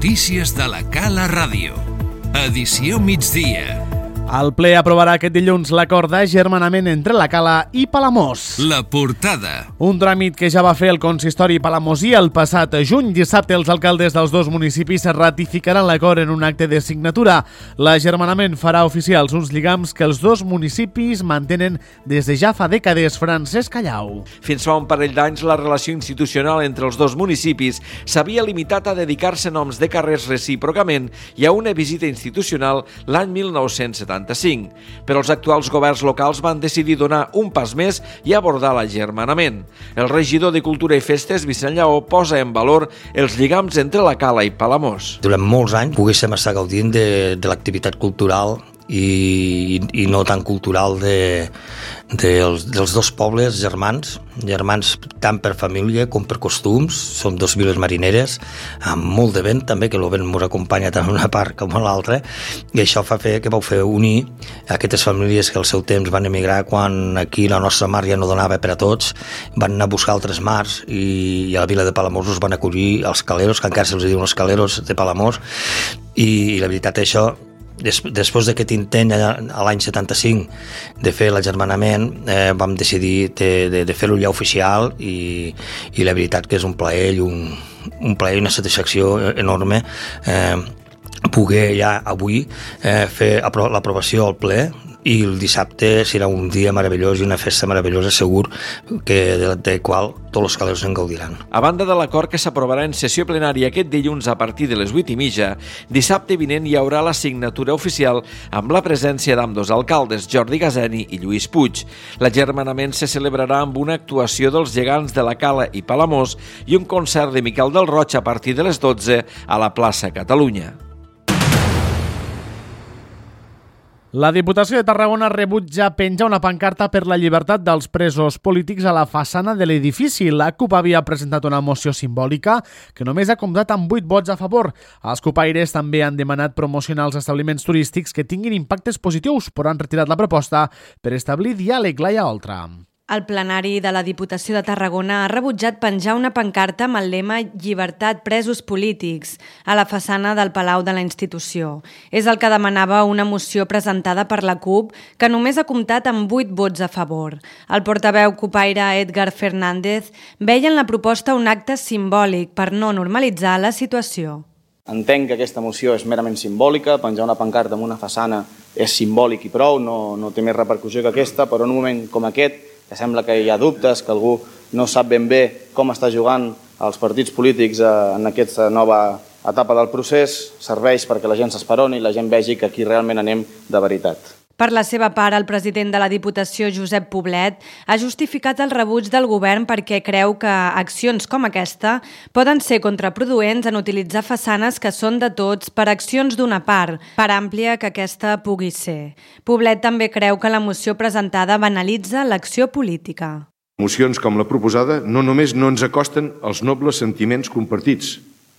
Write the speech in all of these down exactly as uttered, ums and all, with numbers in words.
Notícies de la Cala Ràdio. Edició migdia. El ple aprovarà aquest dilluns l'acord d'agermanament entre la Cala i Palamós. La portada. Un tràmit que ja va fer el consistori palamosí el passat juny. Dissabte els alcaldes dels dos municipis ratificaran l'acord en un acte de signatura. L'agermanament farà oficials uns lligams que els dos municipis mantenen des de ja fa dècades. Francesc Callau. Fins fa un parell d'anys la relació institucional entre els dos municipis s'havia limitat a dedicar-se noms de carrers recíprocament i a una visita institucional l'any mil nou-cents setanta-cinc. Però els actuals governs locals van decidir donar un pas més i abordar l'agermanament. El regidor de Cultura i Festes, Vicent Lleó, posa en valor els lligams entre la Cala i Palamós. Durant molts anys poguéssim estar gaudint de, de l'activitat cultural i, i no tan cultural de, de els, dels dos pobles germans, germans tant per família com per costums. Som dos viles marineres, amb molt de vent també, que el vent ens acompanya tant una part com a l'altra, i això fa fer que vau fer unir aquestes famílies que al seu temps van emigrar quan aquí la nostra mar ja no donava per a tots, van anar a buscar altres mars i, i a la vila de Palamós us van acollir els caleros, que encara se'ls diuen els caleros de Palamós, i, i la veritat això, Des, després d'aquest intent a l'any setanta-cinc de fer l'agermanament, eh, vam decidir de, de, de fer-ho ja oficial i, i la veritat que és un plaer i un, un plaer i una satisfacció enorme eh, poder ja avui eh, fer l'aprovació al ple, i el dissabte serà un dia meravellós i una festa meravellosa, segur que de, de qual tots els caleros en gaudiran. A banda de l'acord que s'aprovarà en sessió plenària aquest dilluns a partir de les vuit i mitja, dissabte vinent hi haurà la signatura oficial amb la presència d'ambdós alcaldes, Jordi Gazeni i Lluís Puig. L'agermanament se celebrarà amb una actuació dels gegants de la Cala i Palamós i un concert de Miquel del Roig a partir de les dotze a la plaça Catalunya. La Diputació de Tarragona rebutja penjar una pancarta per la llibertat dels presos polítics a la façana de l'edifici. La CUP havia presentat una moció simbòlica que només ha comptat amb vuit vots a favor. Els cupaires també han demanat promocionar els establiments turístics que tinguin impactes positius, però han retirat la proposta per establir diàleg. Laia Oltra. El plenari de la Diputació de Tarragona ha rebutjat penjar una pancarta amb el lema «Llibertat presos polítics» a la façana del Palau de la institució. És el que demanava una moció presentada per la CUP, que només ha comptat amb vuit vots a favor. El portaveu cupaire Edgar Fernández veia en la proposta un acte simbòlic per no normalitzar la situació. Entenc que aquesta moció és merament simbòlica, penjar una pancarta en una façana és simbòlic i prou, no, no té més repercussió que aquesta, però en un moment com aquest, que sembla que hi ha dubtes, que algú no sap ben bé com està jugant els partits polítics en aquesta nova etapa del procés, serveix perquè la gent s'esperoni i la gent vegi que aquí realment anem de veritat. Per la seva part, el president de la Diputació, Josep Poblet, ha justificat el rebuig del govern perquè creu que accions com aquesta poden ser contraproduents en utilitzar façanes que són de tots per accions d'una part, per àmplia que aquesta pugui ser. Poblet també creu que la moció presentada banalitza l'acció política. Mocions com la proposada no només no ens acosten als nobles sentiments compartits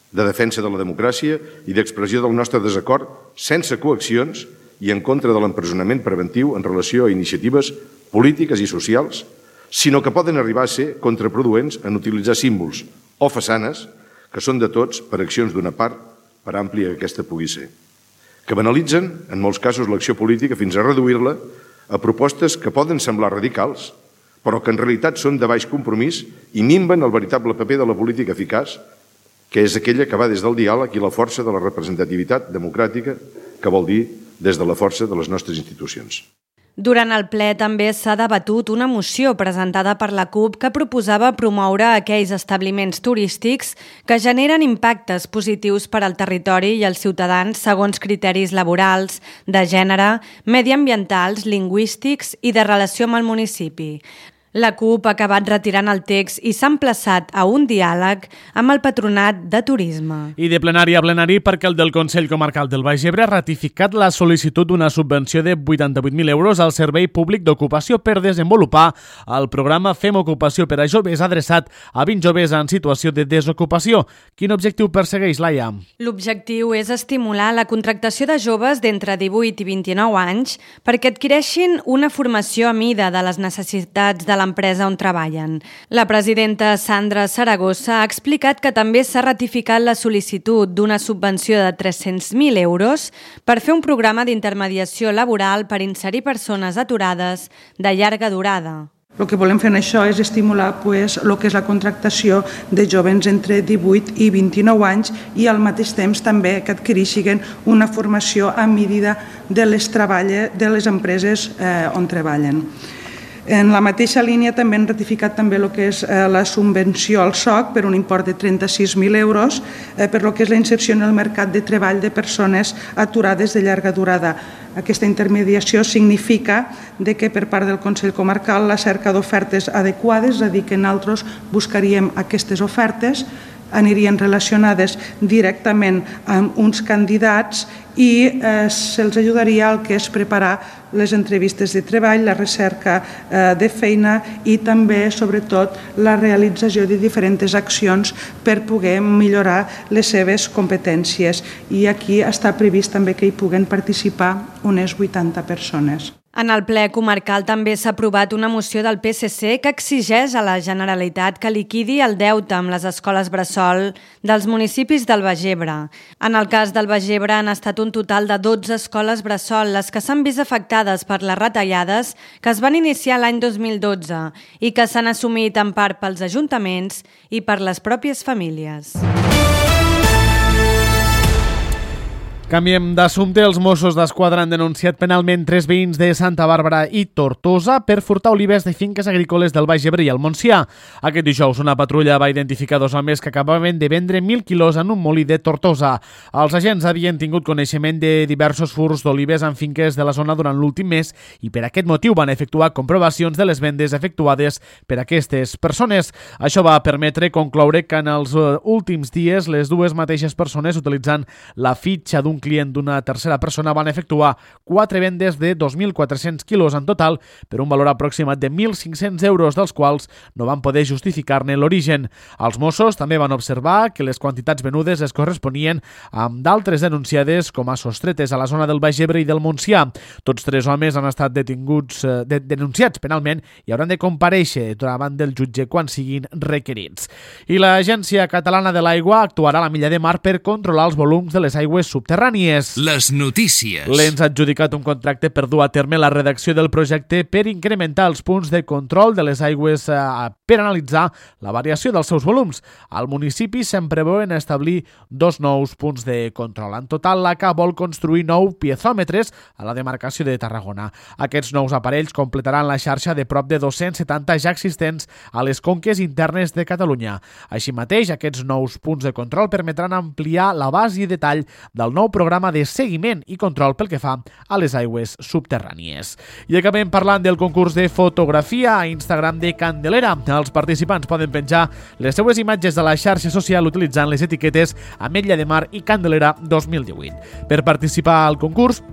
de defensa de la democràcia i d'expressió del nostre desacord sense coaccions i en contra de l'empresonament preventiu en relació a iniciatives polítiques i socials, sinó que poden arribar a ser contraproduents en utilitzar símbols o façanes que són de tots per accions d'una part, per àmplia que aquesta pugui ser, que banalitzen, en molts casos, l'acció política fins a reduir-la a propostes que poden semblar radicals, però que en realitat són de baix compromís i minven el veritable paper de la política eficaç, que és aquella que va des del diàleg i la força de la representativitat democràtica, que vol dir des de la força de les nostres institucions. Durant el ple també s'ha debatut una moció presentada per la CUP que proposava promoure aquells establiments turístics que generen impactes positius per al territori i als ciutadans segons criteris laborals, de gènere, mediambientals, lingüístics i de relació amb el municipi. La CUP ha acabat retirant el text i s'ha emplaçat a un diàleg amb el Patronat de Turisme. I de plenari a plenari perquè el del Consell Comarcal del Baix Ebre ha ratificat la sol·licitud d'una subvenció de vuitanta-vuit mil euros al Servei Públic d'Ocupació per desenvolupar el programa Fem Ocupació per a Joves adreçat a vint joves en situació de desocupació. Quin objectiu persegueix, Laia? L'objectiu és estimular la contractació de joves d'entre divuit i vint-i-nou anys perquè adquireixin una formació a mida de les necessitats de la l'empresa on treballen. La presidenta Sandra Saragossa ha explicat que també s'ha ratificat la sol·licitud d'una subvenció de tres-cents mil euros per fer un programa d'intermediació laboral per inserir persones aturades de llarga durada. El que volem fer en això és estimular pues, el que és la contractació de jovens entre divuit i vint-i-nou anys i al mateix temps també que adquireixin una formació a medida de les, treballes, de les empreses eh, on treballen. En la mateixa línia també han ratificat també el que és la subvenció al S O C per un import de trenta-sis mil euros per el que és la inserció en el mercat de treball de persones aturades de llarga durada. Aquesta intermediació significa de que per part del Consell Comarcal la cerca d'ofertes adequades, és a dir, que nosaltres buscaríem aquestes ofertes, anirien relacionades directament amb uns candidats i eh, se'ls ajudaria al que és preparar les entrevistes de treball, la recerca eh, de feina i també, sobretot, la realització de diferents accions per poder millorar les seves competències. I aquí està previst també que hi puguen participar unes vuitanta persones. En el ple comarcal també s'ha aprovat una moció del P S C que exigeix a la Generalitat que liquidi el deute amb les escoles bressol dels municipis del Baix Ebre. En el cas del Baix Ebre han estat un total de dotze escoles bressol les que s'han vist afectades per les retallades que es van iniciar l'any dos mil dotze i que s'han assumit en part pels ajuntaments i per les pròpies famílies. Canviem d'assumpte. Els Mossos d'Esquadra han denunciat penalment tres veïns de Santa Bàrbara i Tortosa per furtar olives de finques agrícoles del Baix Ebre i el Montsià. Aquest dijous una patrulla va identificar dos homes que acabaven de vendre mil quilos en un molí de Tortosa. Els agents havien tingut coneixement de diversos furts d'olives en finques de la zona durant l'últim mes i per aquest motiu van efectuar comprovacions de les vendes efectuades per aquestes persones. Això va permetre concloure que en els últims dies les dues mateixes persones, utilitzant la fitxa d'un client d'una tercera persona, van efectuar quatre vendes de dos mil quatre-cents quilos en total per un valor aproximat de mil cinc-cents euros, dels quals no van poder justificar-ne l'origen. Els Mossos també van observar que les quantitats venudes es corresponien amb d'altres denunciades com a sostretes a la zona del Baix Ebre i del Montsià. Tots tres homes han estat detinguts, eh, de, denunciats penalment i hauran de comparèixer davant del jutge quan siguin requerits. I l'Agència Catalana de l'Aigua actuarà a la Milla de Mar per controlar els volums de les aigües subterrànies. Les notícies. L'Ens ha adjudicat un contracte per dur a terme la redacció del projecte per incrementar els punts de control de les aigües eh, per analitzar la variació dels seus volums. Al municipi se'n preveuen establir dos nous punts de control. En total, l'A C A vol construir nou piezòmetres a la demarcació de Tarragona. Aquests nous aparells completaran la xarxa de prop de dos-cents setanta ja existents a les conques internes de Catalunya. Així mateix, aquests nous punts de control permetran ampliar l'abast i detall del nou programa de seguiment i control pel que fa a les aigües subterrànies. I acabem parlant del concurs de fotografia a Instagram de Candelera. Els participants poden penjar les seues imatges a la xarxa social utilitzant les etiquetes Ametlla de Mar i Candelera dos mil divuit. Per participar al concurs,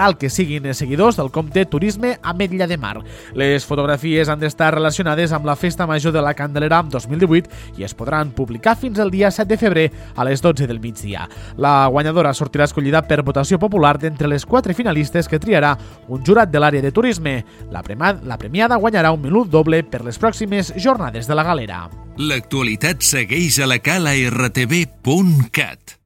cal que siguin seguidors del compte Turisme Ametlla de Mar. Les fotografies han d'estar relacionades amb la Festa Major de la Candelera dos mil divuit i es podran publicar fins al dia set de febrer a les dotze del migdia. La guanyadora sortirà escollida per votació popular d'entre les quatre finalistes que triarà un jurat de l'àrea de turisme. La, premiada, la premiada guanyarà un menú doble per les pròximes jornades de la galera. L'actualitat segueix a la cala r t v punt cat.